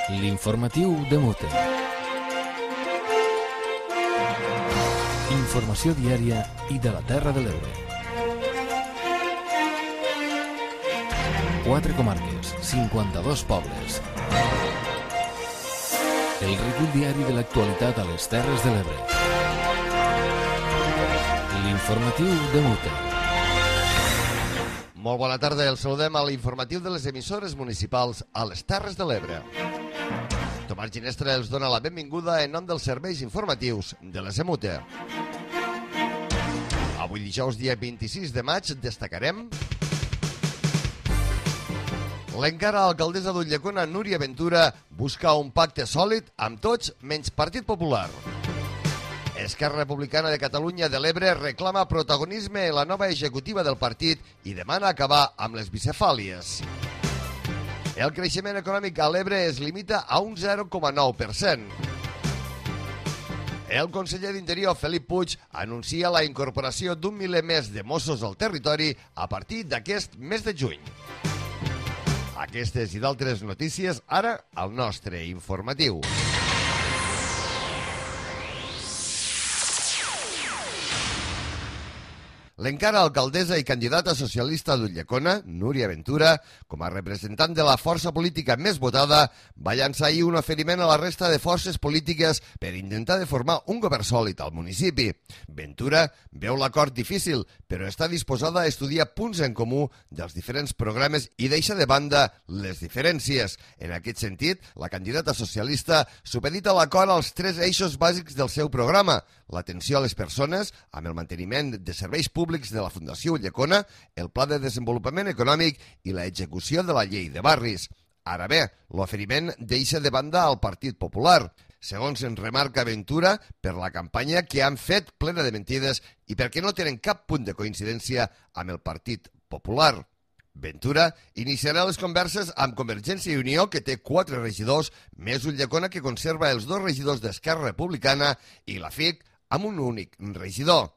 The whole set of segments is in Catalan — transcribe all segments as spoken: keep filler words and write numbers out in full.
L'informatiu de Mute. Informació diària i de la Terra de l'Ebre. Quatre comarques, cinquanta-dos pobles. El recull diari de l'actualitat a les Terres de l'Ebre. L'informatiu de Mute. Molt bona tarda, els saludem a l'informatiu de les emissores municipals a les Terres de l'Ebre. Tomàs Ginestra els dona la benvinguda en nom dels serveis informatius de les Emute. Avui dijous, dia vint-i-sis de maig, destacarem l'encara alcaldessa d'Ulldecona, Núria Ventura, busca un pacte sòlid amb tots menys Partit Popular. Esquerra Republicana de Catalunya de l'Ebre reclama protagonisme en la nova executiva del partit i demana acabar amb les bicefàlies. El creixement econòmic a l'Ebre es limita a un zero coma nou per cent. El conseller d'Interior, Felip Puig, anuncia la incorporació d'un miler més de Mossos al territori a partir d'aquest mes de juny. Aquestes i d'altres notícies ara al nostre informatiu. L'encara alcaldessa i candidata socialista d'Ulldecona, Núria Ventura, com a representant de la força política més votada, va llançar ahir un oferiment a la resta de forces polítiques per intentar de formar un govern sòlid al municipi. Ventura veu l'acord difícil, però està disposada a estudiar punts en comú dels diferents programes i deixa de banda les diferències. En aquest sentit, la candidata socialista supedita l'acord als tres eixos bàsics del seu programa: l'atenció a les persones, amb el manteniment de serveis públics de la Fundació Ulldecona, el Pla de Desenvolupament Econòmic i la execució de la Llei de Barris. Ara bé, l'oferiment deixa de banda al Partit Popular, segons en remarca Ventura, per la campanya que han fet plena de mentides i perquè no tenen cap punt de coincidència amb el Partit Popular. Ventura iniciarà les converses amb Convergència i Unió, que té quatre regidors, més Ulldecona, que conserva els dos regidors d'Esquerra Republicana, i la F I C, amb un únic regidor.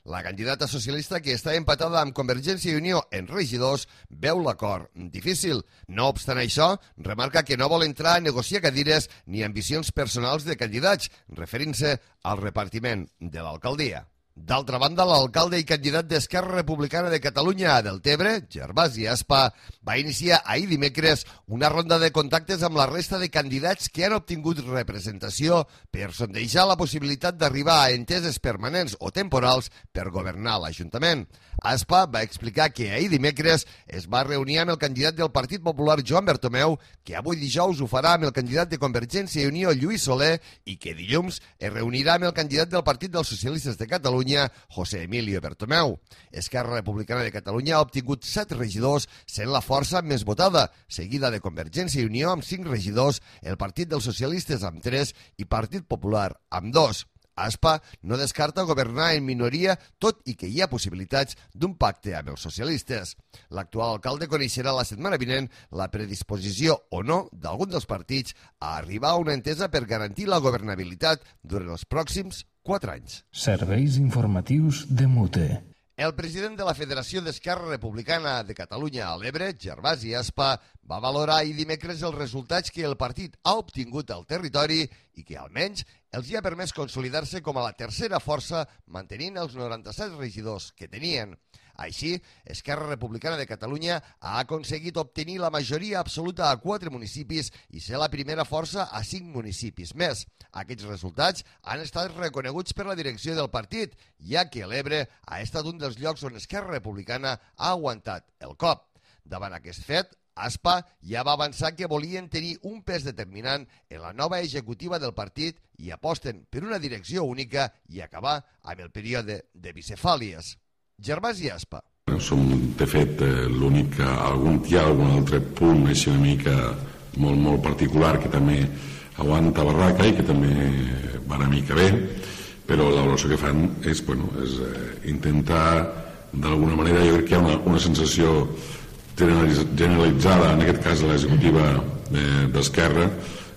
La candidata socialista, que està empatada amb Convergència i Unió en regidors, veu l'acord difícil. No obstant això, remarca que no vol entrar a negociar cadires ni ambicions personals de candidats, referint-se al repartiment de l'alcaldia. D'altra banda, l'alcalde i candidat d'Esquerra Republicana de Catalunya a Deltebre, Gervasi Aspa, va iniciar ahir dimecres una ronda de contactes amb la resta de candidats que han obtingut representació per sondejar la possibilitat d'arribar a enteses permanents o temporals per governar l'Ajuntament. Aspa va explicar que ahir dimecres es va reunir amb el candidat del Partit Popular, Joan Bertomeu, que avui dijous ho farà amb el candidat de Convergència i Unió, Lluís Soler, i que dilluns es reunirà amb el candidat del Partit dels Socialistes de Catalunya, José Emilio Bertomeu. Esquerra Republicana de Catalunya ha obtingut set regidors, sent la força més votada, seguida de Convergència i Unió amb cinc regidors, el Partit dels Socialistes amb tres i Partit Popular amb dos. Aspa no descarta governar en minoria, tot i que hi ha possibilitats d'un pacte amb els socialistes. L'actual alcalde coneixerà la setmana vinent la predisposició o no d'algun dels partits a arribar a una entesa per garantir la governabilitat durant els pròxims quatre anys. Serveis informatius de Mute. El president de la Federació d'Esquerra Republicana de Catalunya a l'Ebre, Gervasi Aspa, va valorar ahir dimecres els resultats que el partit ha obtingut al territori i que almenys els hi ha permès consolidar-se com a la tercera força, mantenint els noranta-set regidors que tenien. Així, Esquerra Republicana de Catalunya ha aconseguit obtenir la majoria absoluta a quatre municipis i ser la primera força a cinc municipis més. Aquests resultats han estat reconeguts per la direcció del partit, ja que l'Ebre ha estat un dels llocs on Esquerra Republicana ha aguantat el cop. Davant aquest fet, Aspa ja va avançar que volien tenir un pes determinant en la nova executiva del partit i aposten per una direcció única i acabar amb el període de bicefàlies. Gervasi Aspa. Som, de fet, l'únic, algun, hi ha algun altre punt així una mica molt, molt particular que també aguanta barraca i que també va una mica bé, però la valoració que fan és, bueno, és intentar, d'alguna manera, jo crec que hi ha una, una sensació generalitzada, en aquest cas de l'executiva d'Esquerra,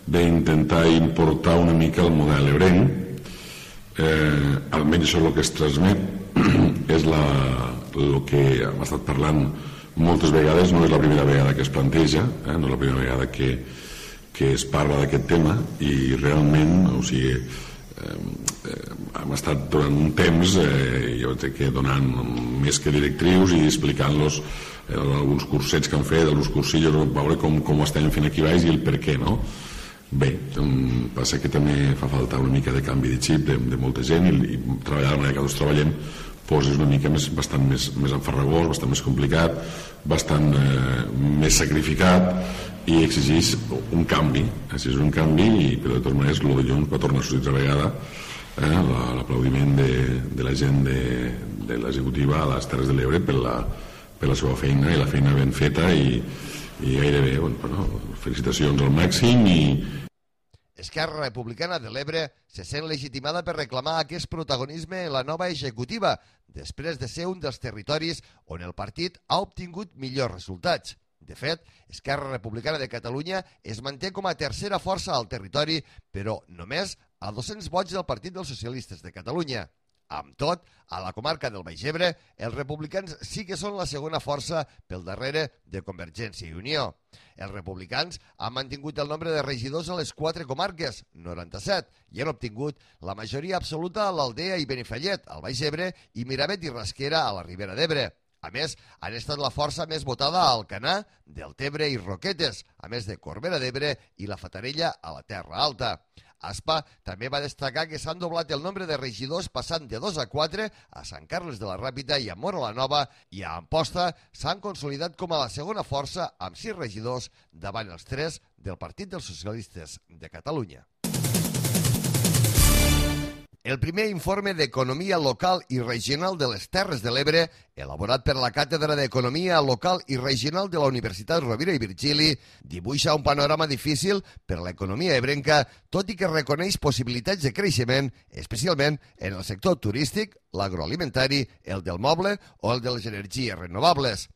d'intentar importar una mica el model ebrenc. Eh, almenys això és el que es transmet, és la, el que hem estat parlant moltes vegades, no és la primera vegada que es planteja, eh, no és la primera vegada que, que es parla d'aquest tema i realment, o sigui, eh, eh, hem estat durant un temps, eh, jo crec que donant més que directrius i explicant-los eh, alguns cursets que han fet, alguns cursillos, veure com, com ho estem fent aquí baix i el per què, no? Bé, passa que també fa falta una mica de canvi de xip de, de molta gent i, i treballar de la manera que tots treballem pues és una mica més, bastant més, més enfarragós, bastant més complicat, bastant eh, més sacrificat i exigeix un canvi, exigeix un canvi i però de totes maneres el dilluns va tornar a sortir altra vegada eh, l'aplaudiment de, de la gent de, de l'executiva a les Terres de l'Ebre per la, per la seva feina i la feina ben feta i, i gairebé, bueno, felicitacions al màxim i Esquerra Republicana de l'Ebre se sent legitimada per reclamar aquest protagonisme en la nova executiva, després de ser un dels territoris on el partit ha obtingut millors resultats. De fet, Esquerra Republicana de Catalunya es manté com a tercera força al territori, però només a dos-cents vots del Partit dels Socialistes de Catalunya. Amb tot, a la comarca del Baix Ebre, els republicans sí que són la segona força pel darrere de Convergència i Unió. Els republicans han mantingut el nombre de regidors a les quatre comarques, noranta-set, i han obtingut la majoria absoluta a l'Aldea i Benifallet, al Baix Ebre, i Miravet i Rasquera, a la Ribera d'Ebre. A més, han estat la força més votada a Alcanar, Deltebre i Roquetes, a més de Corbera d'Ebre i la Fatarella a la Terra Alta. Aspa també va destacar que s'han doblat el nombre de regidors passant de dos a quatre a Sant Carles de la Ràpita i a Móra la Nova i a Amposta s'han consolidat com a la segona força amb sis regidors davant els tres del Partit dels Socialistes de Catalunya. El primer informe d'Economia Local i Regional de les Terres de l'Ebre, elaborat per la Càtedra d'Economia Local i Regional de la Universitat Rovira i Virgili, dibuixa un panorama difícil per a l'economia ebrenca, tot i que reconeix possibilitats de creixement, especialment en el sector turístic, l'agroalimentari, el del moble o el de les energies renovables.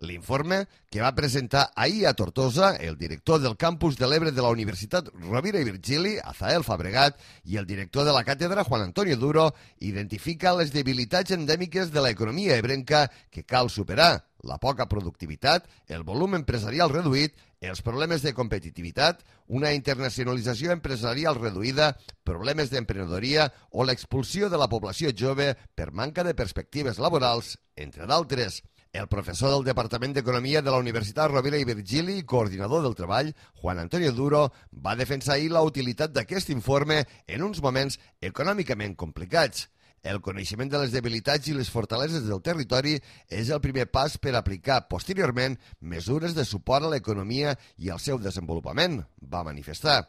L'informe, que va presentar ahir a Tortosa el director del campus de l'Ebre de la Universitat Rovira i Virgili, Azael Fabregat, i el director de la càtedra, Juan Antonio Duro, identifica les debilitats endèmiques de l'economia ebrenca que cal superar: la poca productivitat, el volum empresarial reduït, els problemes de competitivitat, una internacionalització empresarial reduïda, problemes d'emprenedoria o l'expulsió de la població jove per manca de perspectives laborals, entre d'altres. El professor del Departament d'Economia de la Universitat Rovira i Virgili i coordinador del treball, Juan Antonio Duro, va defensar ahir la utilitat d'aquest informe en uns moments econòmicament complicats. El coneixement de les debilitats i les fortaleses del territori és el primer pas per aplicar posteriorment mesures de suport a l'economia i al seu desenvolupament, va manifestar.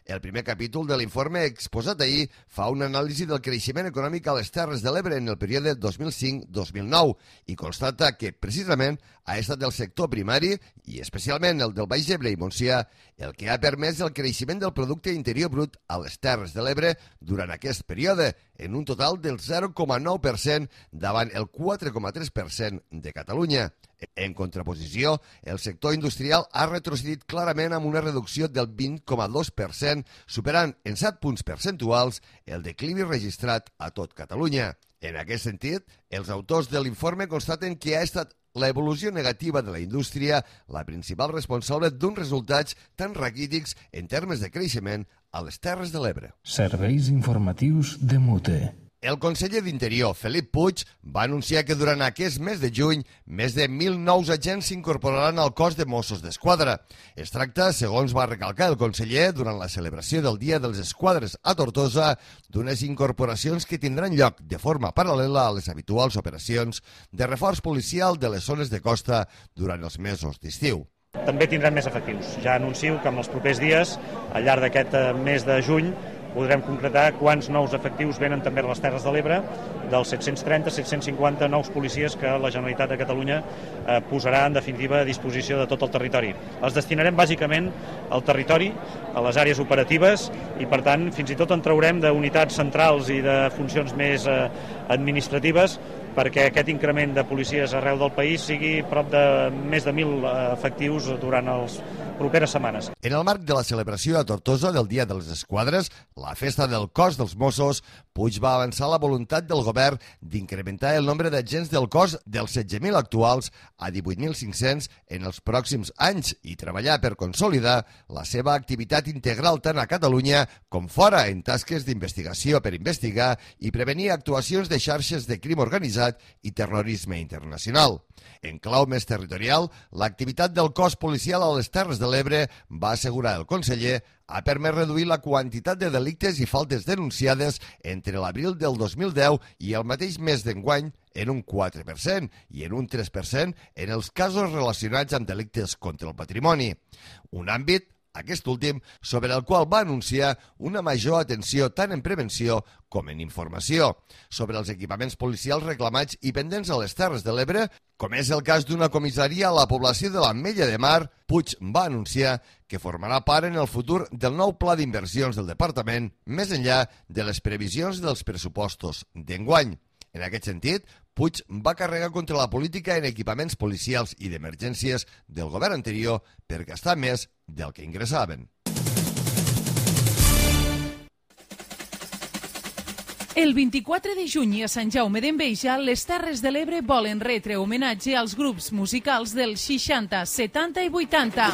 El primer capítol de l'informe exposat ahir fa una anàlisi del creixement econòmic a les Terres de l'Ebre en el període dos mil cinc a dos mil nou i constata que, precisament, ha estat el sector primari, i especialment el del Baix Ebre i Montsià, el que ha permès el creixement del producte interior brut a les Terres de l'Ebre durant aquest període, en un total del zero coma nou per cent davant el quatre coma tres per cent de Catalunya. En contraposició, el sector industrial ha retrocedit clarament amb una reducció del vint coma dos per cent, superant en set punts percentuals el declivi registrat a tot Catalunya. En aquest sentit, els autors de l'informe constaten que ha estat la evolució negativa de la indústria la principal responsable d'uns resultats tan raquítics en termes de creixement a les Terres de l'Ebre. Serveis informatius de Mute. El conseller d'Interior, Felip Puig, va anunciar que durant aquest mes de juny més de mil nous agents s'incorporaran al cos de Mossos d'Esquadra. Es tracta, segons va recalcar el conseller durant la celebració del Dia dels Esquadres a Tortosa, d'unes incorporacions que tindran lloc de forma paral·lela a les habituals operacions de reforç policial de les zones de costa durant els mesos d'estiu. També tindran més efectius. Ja anuncio que en els propers dies, al llarg d'aquest mes de juny, podrem concretar quants nous efectius venen també a les Terres de l'Ebre, dels set-cents trenta a set-cents cinquanta nous policies que la Generalitat de Catalunya eh, posarà en definitiva a disposició de tot el territori. Els destinarem bàsicament al territori, a les àrees operatives, i per tant fins i tot en traurem d'unitats centrals i de funcions més eh, administratives, perquè aquest increment de policies arreu del país sigui prop de més de mil efectius durant els properes setmanes. En el marc de la celebració a Tortosa del Dia de les Esquadres, la festa del cos dels Mossos, Puig va avançar la voluntat del govern d'incrementar el nombre d'agents del cos dels setze mil actuals a divuit mil cinc-cents en els pròxims anys i treballar per consolidar la seva activitat integral tant a Catalunya com fora en tasques d'investigació per investigar i prevenir actuacions de xarxes de crim organitzat i terrorisme internacional. En clau més territorial, l'activitat del cos policial a les Terres de l'Ebre, va assegurar el conseller, ha permès reduir la quantitat de delictes i faltes denunciades entre l'abril del dos mil deu i el mateix mes d'enguany en un quatre per cent i en un tres per cent en els casos relacionats amb delictes contra el patrimoni. Un àmbit, aquest últim, sobre el qual va anunciar una major atenció tant en prevenció com en informació. Sobre els equipaments policials reclamats i pendents a les Terres de l'Ebre, com és el cas d'una comissaria a la població de l'Ametlla de Mar, Puig va anunciar que formarà part en el futur del nou pla d'inversions del departament, més enllà de les previsions dels pressupostos d'enguany. En aquest sentit, Puig va carregar contra la política en equipaments policials i d'emergències del govern anterior per gastar més del que ingressaven. El vint-i-quatre de juny a Sant Jaume d'Enveja, les Terres de l'Ebre volen retre homenatge als grups musicals dels seixanta, setanta i vuitanta.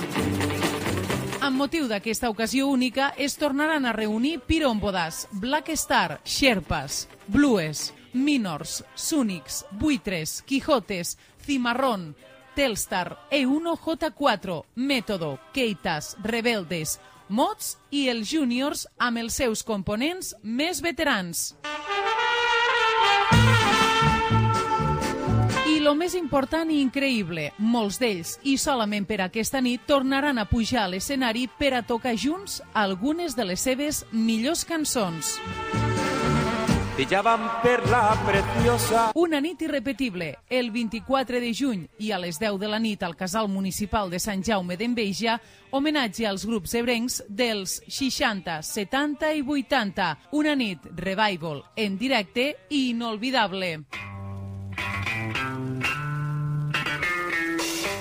Amb motiu d'aquesta ocasió única, es tornaran a reunir Pirómbodas, Black Star, Sherpas, Blues, Minors, Súnics, Buitres, Quijotes, Cimarrón, Telstar, E uno J cuatro, Método, Keitas, Rebeldes, Mods i els Júniors amb els seus components més veterans. I lo més important i increïble, molts d'ells, i solament per aquesta nit, tornaran a pujar a l'escenari per a tocar junts algunes de les seves millors cançons. Una nit irrepetible, el vint-i-quatre de juny i a les deu de la nit al Casal Municipal de Sant Jaume d'Enveja, homenatge als grups ebrencs dels seixanta, setanta i vuitanta. Una nit revival en directe i inolvidable.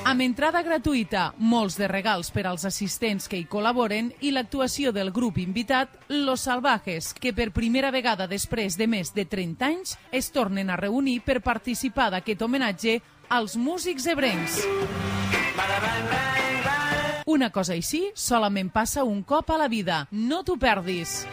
Amb entrada gratuïta, molts de regals per als assistents que hi col·laboren i l'actuació del grup invitat, Los Salvajes, que per primera vegada després de més de trenta anys es tornen a reunir per participar d'aquest homenatge als músics ebrencs. Una cosa així solament passa un cop a la vida. No t'ho perdis.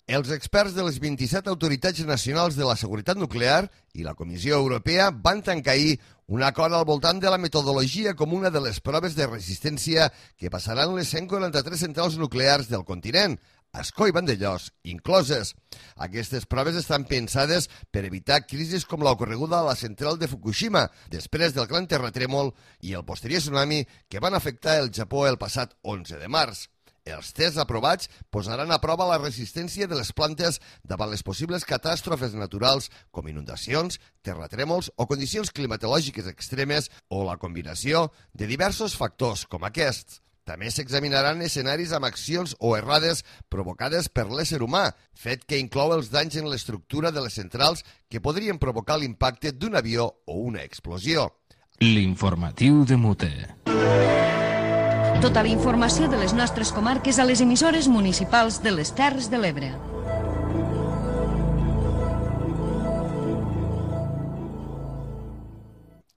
Els experts de les vint-i-set autoritats nacionals de la seguretat nuclear i la Comissió Europea van tancar ahir un acord al voltant de la metodologia comuna de les proves de resistència que passaran les cent quaranta-tres centrals nuclears del continent, Ascó i Vandellòs incloses. Aquestes proves estan pensades per evitar crisis com l'ocorreguda a la central de Fukushima després del gran terratrèmol i el posterior tsunami que van afectar el Japó el passat onze de març. Els tests aprovats posaran a prova la resistència de les plantes davant les possibles catàstrofes naturals com inundacions, terratrèmols o condicions climatològiques extremes o la combinació de diversos factors com aquests. També s'examinaran escenaris amb accions o errades provocades per l'ésser humà, fet que inclou els danys en l'estructura de les centrals que podrien provocar l'impacte d'un avió o una explosió. L'informatiu de Mute. Tota la informació de les nostres comarques a les emissores municipals de les Terres de l'Ebre.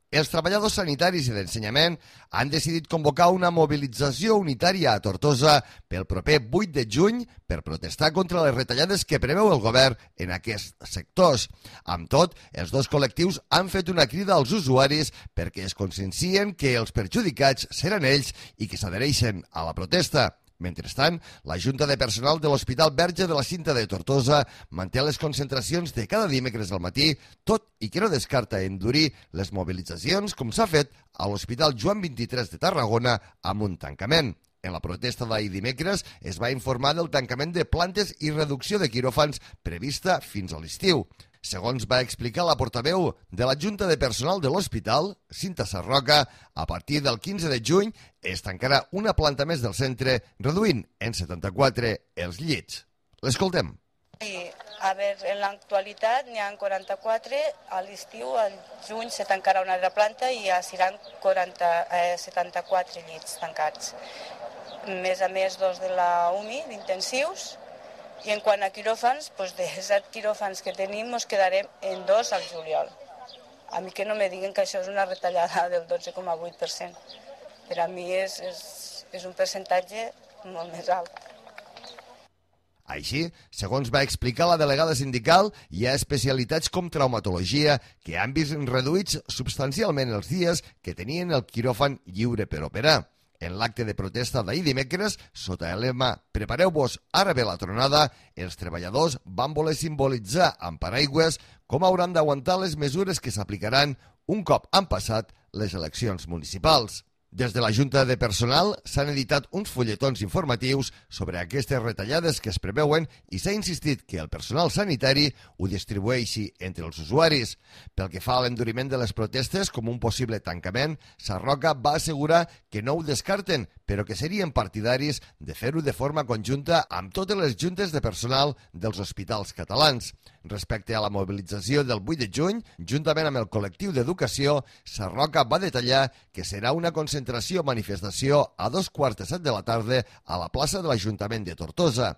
Els treballadors sanitaris i d'ensenyament han decidit convocar una mobilització unitària a Tortosa pel proper vuit de juny per protestar contra les retallades que preveu el govern en aquests sectors. Amb tot, els dos col·lectius han fet una crida als usuaris perquè es consciencien que els perjudicats seran ells i que s'adhereixen a la protesta. Mentrestant, la Junta de Personal de l'Hospital Verge de la Cinta de Tortosa manté les concentracions de cada dimecres al matí, tot i que no descarta endurir les mobilitzacions com s'ha fet a l'Hospital Joan vint-i-tres de Tarragona amb un tancament. En la protesta d'ahir dimecres es va informar del tancament de plantes i reducció de quiròfans prevista fins a l'estiu. Segons va explicar la portaveu de la Junta de Personal de l'Hospital, Cinta Sarroca, a partir del quinze de juny es tancarà una planta més del centre, reduint en setanta-quatre els llits. L'escoltem. Sí, a veure, en l'actualitat n'hi ha quaranta-quatre, a l'estiu, al juny, se tancarà una altra planta i ja seran quaranta, eh, setanta-quatre llits tancats. Més a més, dos de la U M I, d'intensius, i en quant a quiròfans, doncs de set quiròfans que tenim, ens quedarem en dos al juliol. A mi que no me diguen que això és una retallada del dotze coma vuit per cent. Per a mi és, és, és un percentatge molt més alt. Així, segons va explicar la delegada sindical, hi ha especialitats com traumatologia que han vist reduïts substancialment els dies que tenien el quiròfan lliure per operar. En l'acte de protesta d'ahir dimecres, sota el lema «Prepareu-vos, ara ve la tronada», els treballadors van voler simbolitzar amb paraigües com hauran d'aguantar les mesures que s'aplicaran un cop han passat les eleccions municipals. Des de la Junta de Personal s'han editat uns fulletons informatius sobre aquestes retallades que es preveuen i s'ha insistit que el personal sanitari ho distribueixi entre els usuaris. Pel que fa a l'enduriment de les protestes com un possible tancament, Sarroca va assegurar que no ho descarten, però que serien partidaris de fer-ho de forma conjunta amb totes les juntes de personal dels hospitals catalans. Respecte a la mobilització del vuit de juny, juntament amb el col·lectiu d'educació, Sarroca va detallar que serà una concentració-manifestació a dos quarts de set de la tarda a la plaça de l'Ajuntament de Tortosa.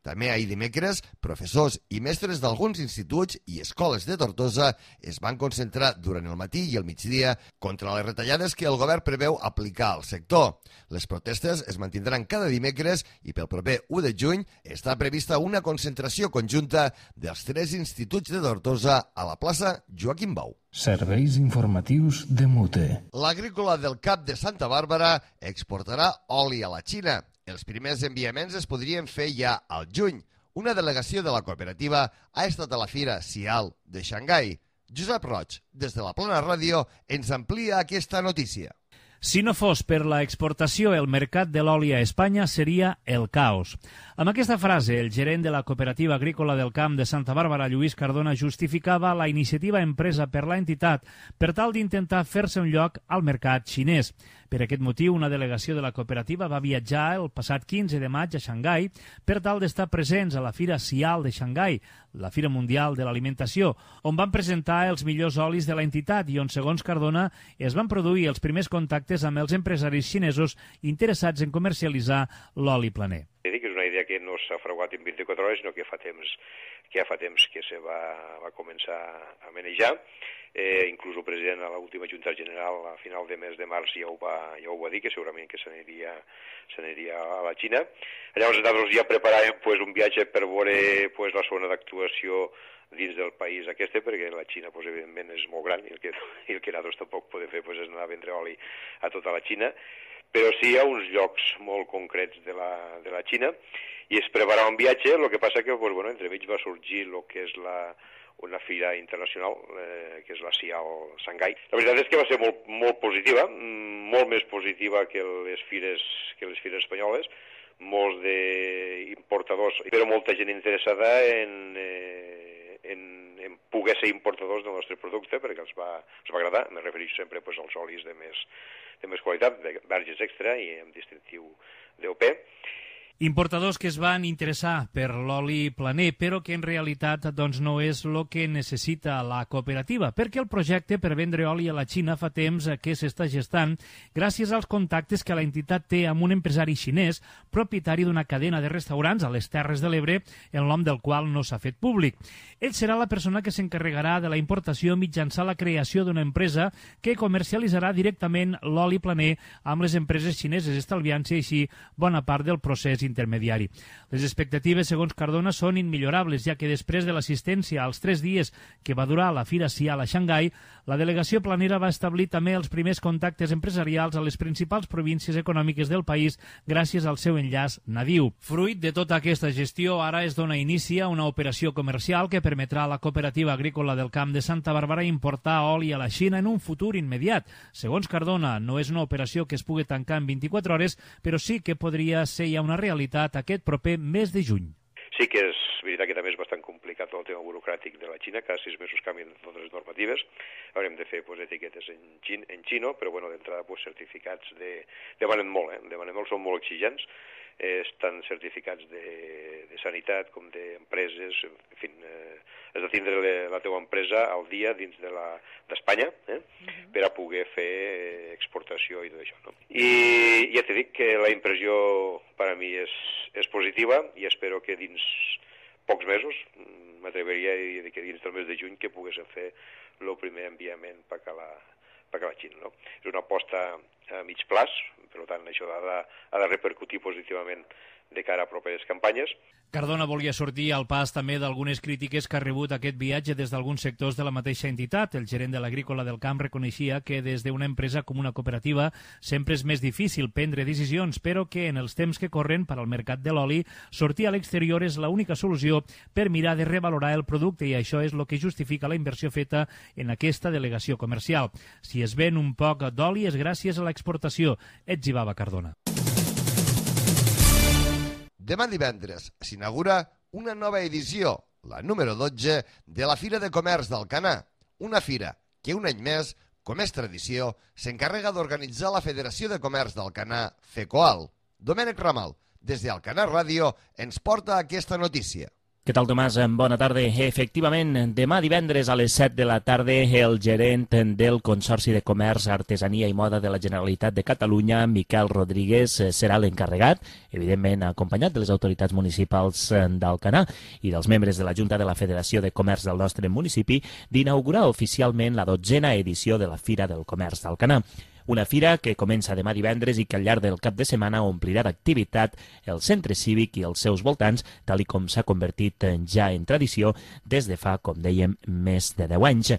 També ahir dimecres, professors i mestres d'alguns instituts i escoles de Tortosa es van concentrar durant el matí i el migdia contra les retallades que el govern preveu aplicar al sector. Les protestes es mantindran cada dimecres i pel proper u de juny està prevista una concentració conjunta dels tres instituts de Tortosa a la plaça Joaquim Bau. Serveis informatius de Mute. L'agrícola del Cap de Santa Bàrbara exportarà oli a la Xina. Els primers enviaments es podrien fer ja al juny. Una delegació de la cooperativa ha estat a la fira Sial de Xangai. Josep Roig, des de la Plana Ràdio, ens amplia aquesta notícia. Si no fos per la exportació, el mercat de l'oli a Espanya seria el caos. Amb aquesta frase, el gerent de la Cooperativa Agrícola del Camp de Santa Bàrbara, Lluís Cardona, justificava la iniciativa empresa per la entitat per tal d'intentar fer-se un lloc al mercat xinès. Per aquest motiu, una delegació de la cooperativa va viatjar el passat quinze de maig a Xangai per tal d'estar presents a la Fira Sial de Xangai, la Fira Mundial de l'Alimentació, on van presentar els millors olis de la entitat i on, segons Cardona, es van produir els primers contactes amb els empresaris xinesos interessats en comercialitzar l'oli planer. És una idea que no s'ha fraguat en vint-i-quatre hores, sinó que fa temps que ja fa temps que se va, va començar a manejar. Eh, inclús el president a l'última Junta General a final de mes de març ja ho va, ja ho va dir, que segurament que s'aniria s'aniria a la Xina. Llavors nosaltres ja preparàvem pues, un viatge per veure pues, la zona d'actuació dins del país aquest, perquè la Xina pues, evidentment és molt gran i el que, i el que nosaltres tampoc podem fer pues, és anar a vendre oli a tota la Xina, però sí hi ha uns llocs molt concrets de la, de la Xina i es preparava un viatge, el que passa que pues, bueno, entremig va sorgir el que és la una fira internacional, eh, que és la Sial Xangai. La veritat és que va ser molt, molt positiva, molt més positiva que les fires, que les fires espanyoles, molts d'importadors, però molta gent interessada en, eh, en, en poder ser importadors del nostre producte, perquè els va, els va agradar. Me refereixo sempre pues, als olis de més, de més qualitat, de verges extra i amb distintiu d'O P. Importadors que es van interessar per l'oli planer, però que en realitat doncs, no és el que necessita la cooperativa, perquè el projecte per vendre oli a la Xina fa temps que s'està gestant gràcies als contactes que la entitat té amb un empresari xinès, propietari d'una cadena de restaurants a les Terres de l'Ebre, el nom del qual no s'ha fet públic. Ell serà la persona que s'encarregarà de la importació mitjançant la creació d'una empresa que comercialitzarà directament l'oli planer amb les empreses xineses, estalviant-se així bona part del procés intermediari. Les expectatives, segons Cardona, són immillorables, ja que després de l'assistència als tres dies que va durar la Fira Sial a Xangai, la delegació planera va establir també els primers contactes empresarials a les principals províncies econòmiques del país gràcies al seu enllaç nadiu. Fruit de tota aquesta gestió, ara es dona inici a una operació comercial que permetrà a la Cooperativa Agrícola del Camp de Santa Bàrbara importar oli a la Xina en un futur immediat. Segons Cardona, no és una operació que es pugui tancar en vint-i-quatre hores, però sí que podria ser ja una realitat aquest proper mes de juny. Sí que és, veritat que també és bastant complicat el tema burocràtic de la Xina, cada sis mesos canvien totes les normatives, haurem de fer pues, etiquetes en, xin, en xino, però bueno, d'entrada pues, certificats de... demanen molt, eh? demanen molt, són molt exigents, eh, estan certificats de, de sanitat com d'empreses, en fi, eh, has de tindre le, la teva empresa al dia dins de la d'Espanya, eh? uh-huh. per a poder fer exportació i tot això. No? I ja t'he dit que la impressió per a mi és, és positiva i espero que dins pocs mesos, m'atreveria a dir que dins del mes de juny, que poguéssim fer el primer enviament per a la, per a la Xina. No? És una aposta a mig plaç, per tant això ha de, ha de repercutir positivament de cara a properes campanyes. Cardona volia sortir al pas també d'algunes crítiques que ha rebut aquest viatge des d'alguns sectors de la mateixa entitat. El gerent de l'Agrícola del Camp reconeixia que des d'una empresa com una cooperativa sempre és més difícil prendre decisions, però que en els temps que corren per al mercat de l'oli sortir a l'exterior és l'única solució per mirar de revalorar el producte i això és el que justifica la inversió feta en aquesta delegació comercial. Si es ven un poc d'oli és gràcies a l'exportació, etzibava Cardona. Demà divendres s'inaugura una nova edició, la número dotze, de la Fira de Comerç d'Alcanar, una fira que un any més, com és tradició, s'encarrega d'organitzar la Federació de Comerç d'Alcanar, FECOAL. Domènec Ramal, des d'Alcanar Ràdio, ens porta aquesta notícia. Què tal, Tomàs? Bona tarda. Efectivament, demà divendres a les set de la tarda el gerent del Consorci de Comerç, Artesania i Moda de la Generalitat de Catalunya, Miquel Rodríguez, serà l'encarregat, evidentment acompanyat de les autoritats municipals d'Alcanar i dels membres de la Junta de la Federació de Comerç del nostre municipi, d'inaugurar oficialment la dotzena edició de la Fira del Comerç d'Alcanar. Una fira que comença demà divendres i que al llarg del cap de setmana omplirà d'activitat el centre cívic i els seus voltants, tal i com s'ha convertit ja en tradició des de fa, com dèiem, més de deu anys.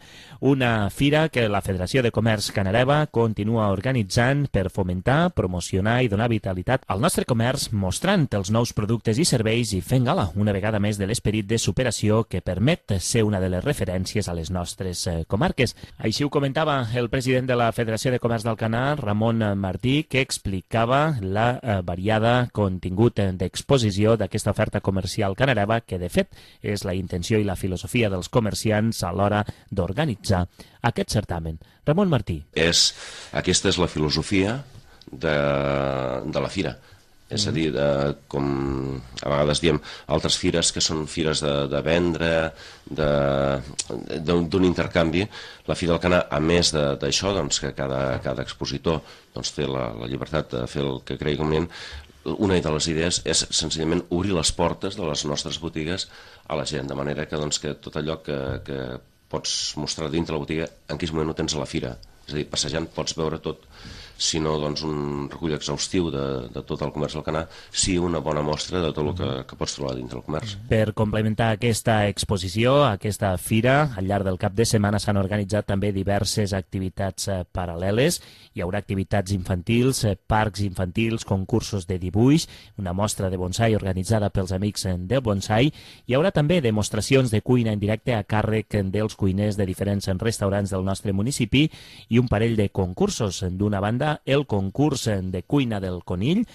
Una fira que la Federació de Comerç Canareva continua organitzant per fomentar, promocionar i donar vitalitat al nostre comerç, mostrant els nous productes i serveis i fent gala una vegada més de l'esperit de superació que permet ser una de les referències a les nostres comarques. Així ho comentava el president de la Federació de Comerç del Alcanar, Ramon Martí, que explicava la eh, variada contingut d'exposició d'aquesta oferta comercial canareva, que de fet és la intenció i la filosofia dels comerciants a l'hora d'organitzar aquest certamen. Ramon Martí. És, aquesta és la filosofia de, de la fira. És a dir, de, com a vegades diem, altres fires que són fires de, de vendre, d'un intercanvi. La Fira d'Alcanar, a més d'això, doncs, que cada, cada expositor doncs, té la, la llibertat de fer el que cregui convenient, una de les idees és senzillament obrir les portes de les nostres botigues a la gent, de manera que, doncs, que tot allò que, que pots mostrar dintre la botiga, en aquell moment ho tens a la fira. És a dir, passejant pots veure tot, sinó doncs, un recull exhaustiu de, de tot el comerç d'Alcanar, sí una bona mostra de tot el que, que pots trobar dintre el comerç. Per complementar aquesta exposició, aquesta fira, al llarg del cap de setmana s'han organitzat també diverses activitats eh, paral·leles. Hi haurà activitats infantils, eh, parcs infantils, concursos de dibuix, una mostra de bonsai organitzada pels amics del bonsai. Hi haurà també demostracions de cuina en directe a càrrec dels cuiners de diferents restaurants del nostre municipi i un parell de concursos. D'una banda, el concurs de cuina del conill.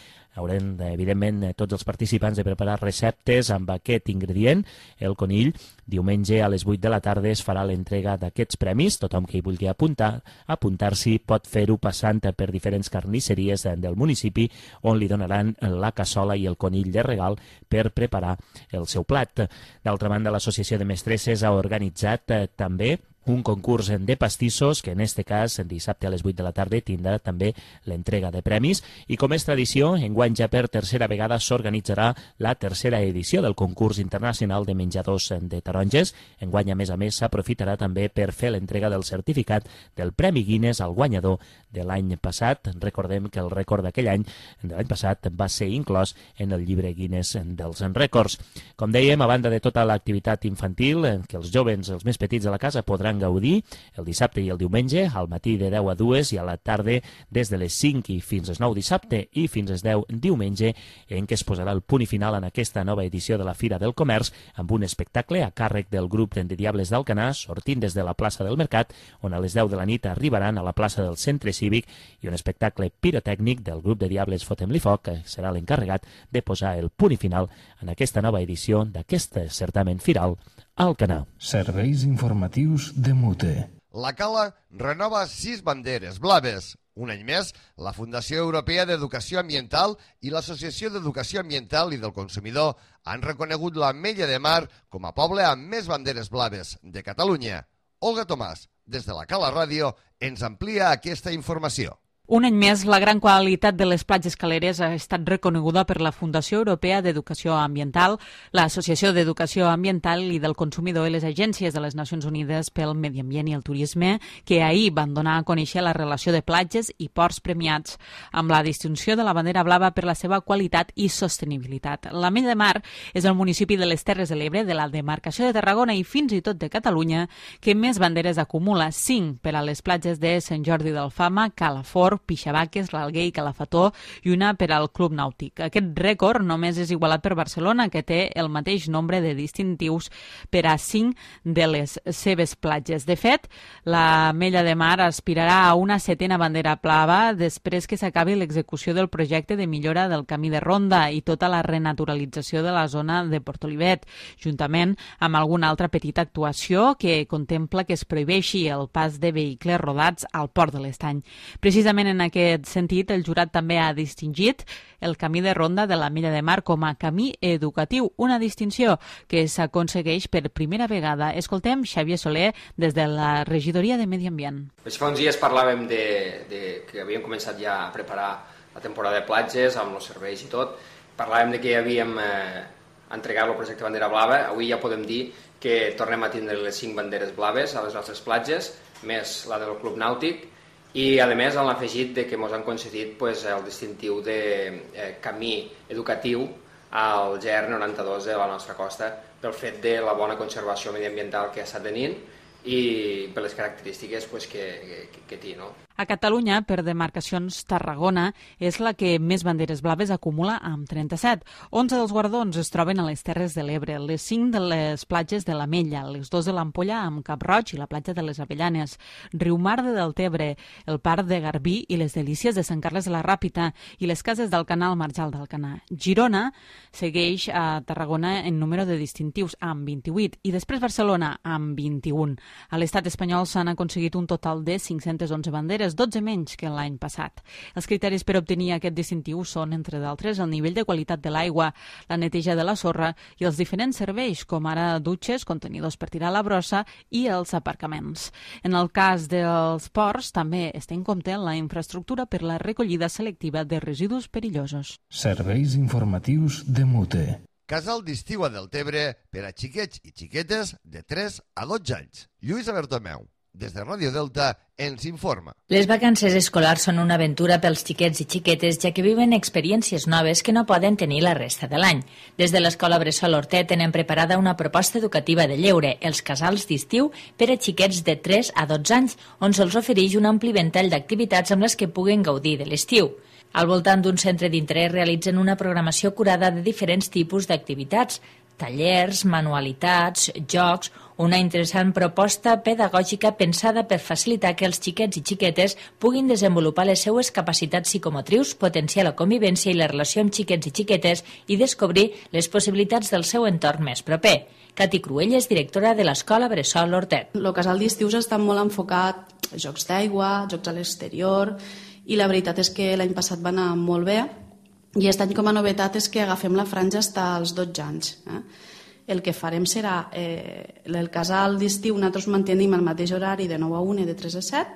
Haurem, evidentment, tots els participants de preparar receptes amb aquest ingredient, el conill. Diumenge a les vuit de la tarda es farà l'entrega d'aquests premis. Tothom que hi vulgui apuntar, apuntar-s'hi pot fer-ho passant per diferents carnisseries del municipi on li donaran la cassola i el conill de regal per preparar el seu plat. D'altra banda, l'Associació de Mestresses ha organitzat eh, també un concurs de pastissos que en este cas, dissabte a les vuit de la tarda, tindrà també l'entrega de premis i com és tradició, enguany ja per tercera vegada s'organitzarà la tercera edició del concurs internacional de menjadors de taronges. Enguany, a més a més, s'aprofitarà també per fer l'entrega del certificat del Premi Guinness al guanyador de l'any passat. Recordem que el rècord d'aquell any, de l'any passat, va ser inclòs en el llibre Guinness dels rècords. Com dèiem, a banda de tota l'activitat infantil, que els jovens, els més petits de la casa, podran podran gaudir el dissabte i el diumenge, al matí de deu a dues i a la tarda des de les cinc i fins les nou dissabte i fins les deu diumenge, en què es posarà el punt i final en aquesta nova edició de la Fira del Comerç amb un espectacle a càrrec del grup de Diables d'Alcanar, sortint des de la plaça del Mercat, on a les deu de la nit arribaran a la plaça del Centre Cívic, i un espectacle pirotècnic del grup de Diables Fotem-li Foc, que serà l'encarregat de posar el punt i final en aquesta nova edició d'aquest certamen firal a Alcanar. Serveis informatius de Mute. La Cala renova sis banderes blaves. Un any més, la Fundació Europea d'Educació Ambiental i l'Associació d'Educació Ambiental i del Consumidor han reconegut l'Ametlla de Mar com a poble amb més banderes blaves de Catalunya. Olga Tomàs, des de la Cala Ràdio, ens amplia aquesta informació. Un any més, la gran qualitat de les platges caleres ha estat reconeguda per la Fundació Europea d'Educació Ambiental, l'Associació d'Educació Ambiental i del Consumidor i les agències de les Nacions Unides pel Medi Ambient i el Turisme, que ahir van donar a conèixer la relació de platges i ports premiats, amb la distinció de la bandera blava per la seva qualitat i sostenibilitat. L'Ametlla de Mar és el municipi de les Terres de l'Ebre, de la demarcació de Tarragona i fins i tot de Catalunya, que més banderes acumula, cinc per a les platges de Sant Jordi d'Alfama, Calafort, Pixabaques, l'Alguer i Calafató i una per al Club Nàutic. Aquest rècord només és igualat per Barcelona, que té el mateix nombre de distintius per a cinc de les seves platges. De fet, l'Ametlla de Mar aspirarà a una setena bandera blava després que s'acabi l'execució del projecte de millora del camí de ronda i tota la renaturalització de la zona de Portolivet, juntament amb alguna altra petita actuació que contempla que es prohibeixi el pas de vehicles rodats al Port de l'Estany. Precisament en aquest sentit, el jurat també ha distingit el camí de ronda de l'Ametlla de Mar com a camí educatiu, una distinció que s'aconsegueix per primera vegada. Escoltem Xavier Soler des de la Regidoria de Medi Ambient. Pues fa uns dies parlàvem de, de que havíem començat ja a preparar la temporada de platges amb els serveis i tot. Parlàvem de que havíem eh, entregat el projecte Bandera Blava. Avui ja podem dir que tornem a tindre les cinc banderes blaves a les nostres platges, més la del Club Nàutic, i a més han afegit de que ens han concedit pues, el distintiu de eh, camí educatiu al G R noranta-dos de la nostra costa pel fet de la bona conservació mediambiental que està tenint i per les característiques pues, que, que, que té. No? A Catalunya, per demarcacions, Tarragona és la que més banderes blaves acumula amb trenta-set. onze dels guardons es troben a les Terres de l'Ebre, les cinc de les platges de l'Ametlla, les dos de l'Ampolla amb Cap Roig i la platja de les Avellanes, Riumar de Deltebre, el Parc de Garbí i les Delícies de Sant Carles de la Ràpita i les cases del Canal Marjal d'Alcanar. Girona segueix a Tarragona en número de distintius amb vint-i-vuit i després Barcelona amb vint-i-un. A l'estat espanyol s'han aconseguit un total de cinc-centes onze banderes, dotze menys que l'any passat. Els criteris per obtenir aquest distintiu són, entre d'altres, el nivell de qualitat de l'aigua, la neteja de la sorra i els diferents serveis, com ara dutxes, contenidors per tirar la brossa i els aparcaments. En el cas dels ports, també es té en compte la infraestructura per la recollida selectiva de residus perillosos. Serveis informatius de Mute. Casal d'estiu a Deltebre per a xiquets i xiquetes de tres a dotze anys. Lluïsa Bertomeu, des de Ràdio Delta, ens informa. Les vacances escolars són una aventura pels xiquets i xiquetes, ja que viven experiències noves que no poden tenir la resta de l'any. Des de l'Escola Bressol Hortet tenen preparada una proposta educativa de lleure, els casals d'estiu per a xiquets de tres a dotze anys, on se'ls ofereix un ampli ventall d'activitats amb les que puguen gaudir de l'estiu. Al voltant d'un centre d'interès realitzen una programació curada de diferents tipus d'activitats, tallers, manualitats, jocs, una interessant proposta pedagògica pensada per facilitar que els xiquets i xiquetes puguin desenvolupar les seues capacitats psicomotrius, potenciar la convivència i la relació amb xiquets i xiquetes i descobrir les possibilitats del seu entorn més proper. Cati Cruelles, directora de l'Escola Bressol Hortet. El casal d'estius està molt enfocat a jocs d'aigua, jocs a l'exterior, i la veritat és que l'any passat va anar molt bé i aquest any com a novetat és que agafem la franja fins als dotze anys. Eh? El que farem serà eh, el casal d'estiu, nosaltres mantenim el mateix horari de nou a una i de tres a set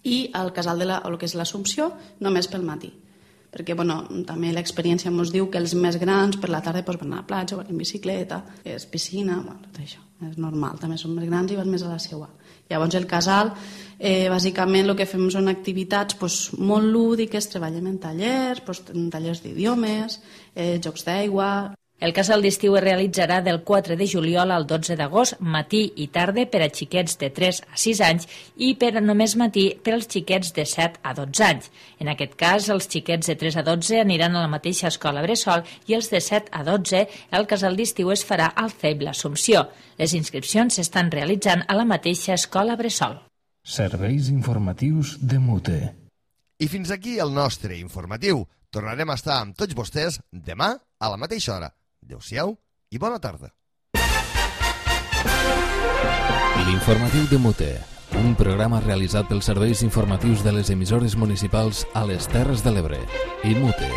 i el casal de la, el que és l'Assumpció només pel matí. Perquè bueno, també l'experiència ens diu que els més grans per la tarda doncs, van a la platja, van en bicicleta, és piscina, bueno, tot això, és normal, també són més grans i van més a la seua. Llavors el casal, eh, bàsicament el que fem són activitats doncs, molt lúdiques, treballem en tallers, doncs, en tallers d'idiomes, eh, jocs d'aigua. El casal d'estiu es realitzarà del quatre de juliol al dotze d'agost, matí i tarda per a xiquets de tres a sis anys i per a només matí per als xiquets de set a dotze anys. En aquest cas, els xiquets de tres a dotze aniran a la mateixa escola bressol i els de set a dotze el casal d'estiu es farà al C E B l'Assumpció. Les inscripcions s'estan realitzant a la mateixa escola bressol. Serveis informatius de Mute. I fins aquí el nostre informatiu. Tornarem a estar amb tots vostès demà a la mateixa hora. Adéu-siau i bona tarda. L'informatiu de Mute, un programa realitzat pels serveis informatius de les emissores municipals a les Terres de l'Ebre i Mute.